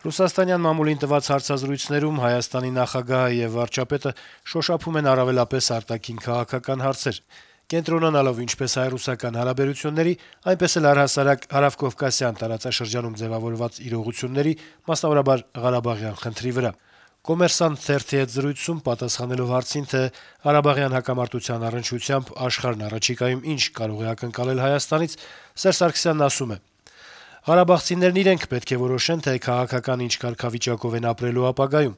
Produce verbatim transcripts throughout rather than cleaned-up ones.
Ռուսաստանյան մամուլին տված հարցազրույցներում Հայաստանի նախագահը եւ վարչապետը շոշափում են առավելապես արտաքին քաղաքական հարցեր, կենտրոնանալով ինչպես հայ-ռուսական հարաբերությունների, այնպես էլ առհասարակ հարավկովկասյան տարածաշրջանում ձեւավորված իրողությունների, մասնավորաբար Ղարաբաղյան խնդրի վրա։ «Կոմերսանտ» թերթի հետ զրույցում պատասխանելով հարցին, թե Ղարաբաղյան հակամարտության առնչությամբ աշխարհն առաջիկայում ինչ կարող է ակնկալել Հայաստանից, Սերժ Սարգսյանն ասում է. - «Ղարաբաղցիներն իրենք պետք է որոշեն, թե քաղաքական ինչ կարգավիճակով են ապրելու ապագայում։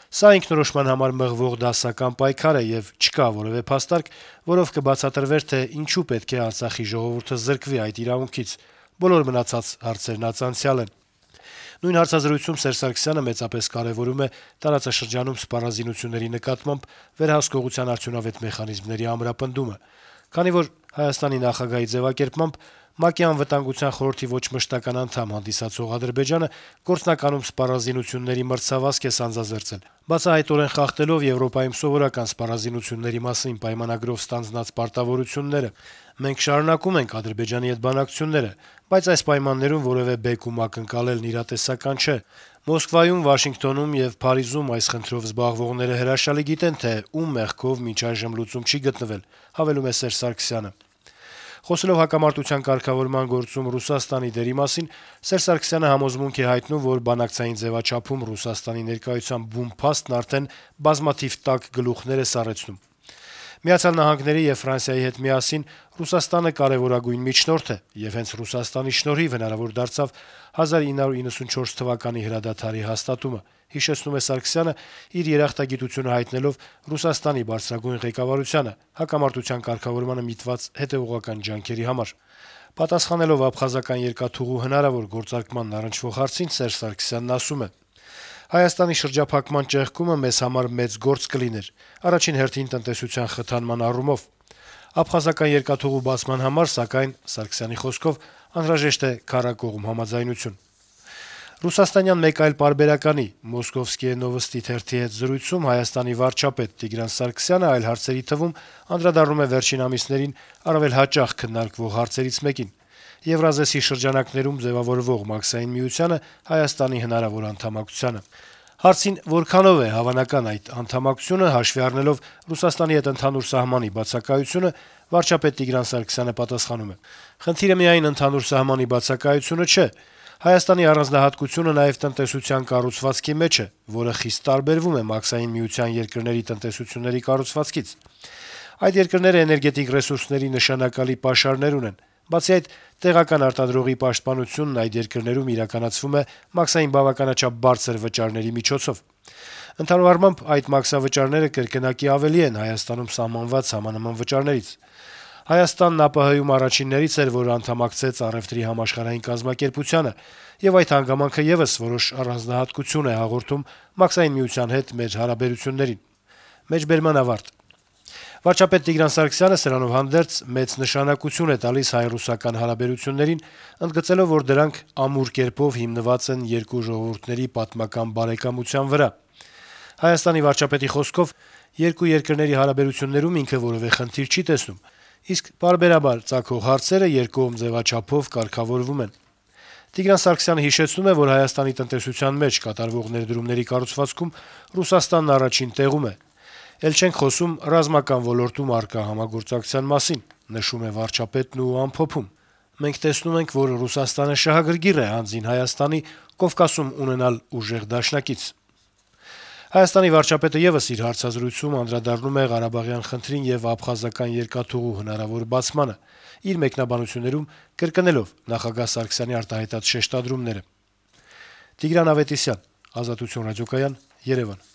Սա ինքնորոշման համար մղվող դասական պայքար է եւ չկա որեւէ փաստարկ, որով կբացատրվեր, թե ինչու պետք է Արցախի ժողովուրդը զրկվի այդ իրավունքից։ Բոլոր մնացած հարցերն անց անցյալ են»։ Նույն հարցազրույցում Սերժ Սարգսյանը մեծապես կարեւորում է տարածաշրջանում սպառազինությունների նկատմամբ վերահսկողության արդյունավետ մեխանիզմների ամրապնդումը, քանի որ Հայաստանի նախագահի ձեւակերպմամբ ՄԱԿ-ի Անվտանգության խորհրդի ոչ մշտական անդամ հանդիսացող Ադրբեջանը գործնականում սպառազինությունների մրցավազք է սանձազերծել, բացահայտորեն խախտելով Եվրոպայում սովորական սպառազինությունների մասին պայմանագրով ստանձնած պարտավորությունները։ Մենք շարունակում ենք Ադրբեջանի հետ բանակցությունները, բայց այս պայմաններում որեւէ բեկում ակնկալելն իրատեսական չէ։ Մոսկվայում, Վաշինգտոնում եւ Փարիզում այս խնդրով զբաղվողները հրաշալի գիտեն, թե ում մեղքով մինչ այժմ լուծում չի գտնվել, հավելում է Սերժ Սարգսյանը։ Խոսելով հակամարտության կարգավորման գործում Ռուսաստանի դերի մասին, Սերժ Սարգսյանը համոզմունք է հայտնում, որ բանակցային ձեւաչափում Ռուսաստանի ներկայության բուն փաստն արդեն բազմաթիվ տաք գլուխներ է սառեցնում։ Միացյալ Նահանգների եւ Ֆրանսիայի հետ միասին Ռուսաստանը կարեւորագույն միջնորդ է, եւ հենց Ռուսաստանի շնորհիվ հնարավոր դարձավ հազար ինը հարյուր իննսունչորս թվականի հրադադարի հաստատումը, հիշեցնում է Սարգսյանը, իր երախտագիտությունը հայտնելով Ռուսաստանի բարձրագույն ղեկավարությանը հակամարտության կարգավորմանը միտված հետեւողական ջանքերի համար։ Պատասխանելով աբխազական երկաթուղու հնարավոր գործարկմանն առնչվող հարցին, Սերժ Սարգսյանն ասում է. - «Հայաստանի շրջափակման ճեղքումը մեզ համար մեծ գործ կլիներ, առաջին հերթին տնտեսության խթանման առումով։ Աբխազական երկաթուղու բացման համար, սակայն, Սարգսյանի խոսքով, անհրաժեշտ է քառակողմ համաձայնություն»։ Ռուսաստանյան մեկ այլ պարբերականի «Մոսկովսկիե նովոստի» թերթի հետ զրույցում Հայաստանի վարչապետ Տիգրան Սարգսյանը այլ հարցերի թվում անդրադառնում է վերջին ամիսներին առավել հաճախ քննարկվող հարցերից մեկին՝ Եվրազեսի շրջանակներում ձեւավորվող Մաքսային միությանը Հայաստանի հնարավոր անդամակցությանը։ Հարցին՝ որքանով է հավանական այդ անդամակցությունը, հաշվի առնելով Ռուսաստանի հետ ընդհանուր սահմանի բացակայությունը, վարչապետ Տիգրան Սարգսյանը պատասխանում է. - «Խնդիրը միայն ընդհանուր սահմանի բացակայությունը չէ։ Հայաստանի առանձնահատկությունը նաեւ տնտեսության կառուցվածքի մեջ է, որը խիստ տարբերվում է Մաքսային միության երկրների տնտեսությունների կառուցվածքից։ Այդ երկրները էներգետիկ ռեսուրսների նշանակալի պաշարներ ունեն։ Բացի այդ, տեղական արտադրողի պաշտպանությունն այդ երկրներում իրականացվում է մաքսային բավականաչափ բարձր վճարների միջոցով։ Ընդհանուր առմամբ, այդ մաքսավճարները կրկնակի ավելի են Հայաստանում սահմանված համանման վճարներից։ Հայաստանն ԱՊՀ-ում առաջիններից էր, որ անդամակցեց առեւտրի համաշխարհային կազմակերպությանը, եւ այդ հանգամանքը եւս որոշ առանձնահատկություն է հաղորդում Մաքսային միության հետ մեր հարաբերություններին»։ Մեջբերման ավարտ։ Վարչապետ Տիգրան Սարգսյանը սրանով հանդերձ մեծ նշանակություն է տալիս հայ-ռուսական հարաբերություններին, ընդգծելով, որ դրանք ամուր կերպով հիմնված են երկու ժողովուրդների պատմական բարեկամության վրա։ Հայաստանի վարչապետի խոսքով, երկու երկրների հարաբերություններում ինքը որեւէ խնդիր չի տեսնում, իսկ պարբերաբար ծագող հարցերը երկկողմ ձեւաչափով կարգավորվում են։ Տիգրան Սարգսյանը հիշեցնում է, որ Հայաստանի տնտեսության մեջ կատարվող ներդրումների կառուցվածքում Ռուսաստանն առաջին տեղում է։ Էլ չենք խոսում ռազմական ոլորտում առկա համագործակցության մասին, նշում է վարչապետն ու ամփոփում. «Մենք տեսնում ենք, որ Ռուսաստանը շահագրգիռ է հանձին Հայաստանի Կովկասում ունենալ ուժեղ դաշնակից»։ Հայաստանի վարչապետը եւս իր հարցազրույցում անդրադառնում է Ղարաբաղյան խնդրին եւ աբխազական երկաթուղու հնարավոր բացմանը, իր մեկնաբանություններում կրկնելով նախագահ Սարգսյանի արտահայտած շեշտադրումները։ Տիգրան Ավետիսյան, Ազատություն ռադիոկայան, Երևան։